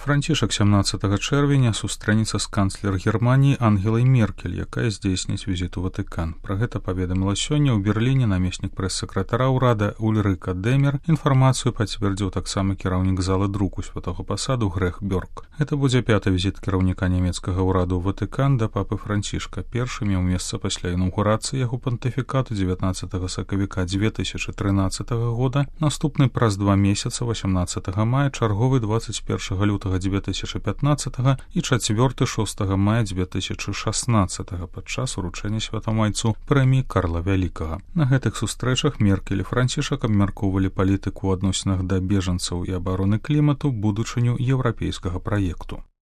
Францішак 17 чэрвеня сустрэнецца з канцлер Германіі Ангелай Меркель, якая здзейсніць візіт у Ватыкан. Пра гэта паведаміла сёння ў Берліне намеснік прэс-сакратара ўрада Ульрыка Демер. Інфармацыю пацвердзіў таксама кіраўнік залы друку святога пасаду Грэх Бёрк. Гэта будзе 5-й візіт кіраўніка нямецкага ўраду ў Ватыкан да папы Францішка. Першы меў месца пасля інаўгурацыі яго пантыфікату 19 сакавіка 2013 года. Наступны праз 2 месяца 18 мая, чарговы 21 лютага 2015 і 4-6 мая 2016 падчас уручэння святамайцу прэміі Карла Вялікага. На гэтых сустрэчах Меркель і Францішак абмяркоўвалі палітыку ў адносінах да бежанцаў і абароны клімату, будучыню еўрапейскага праекту.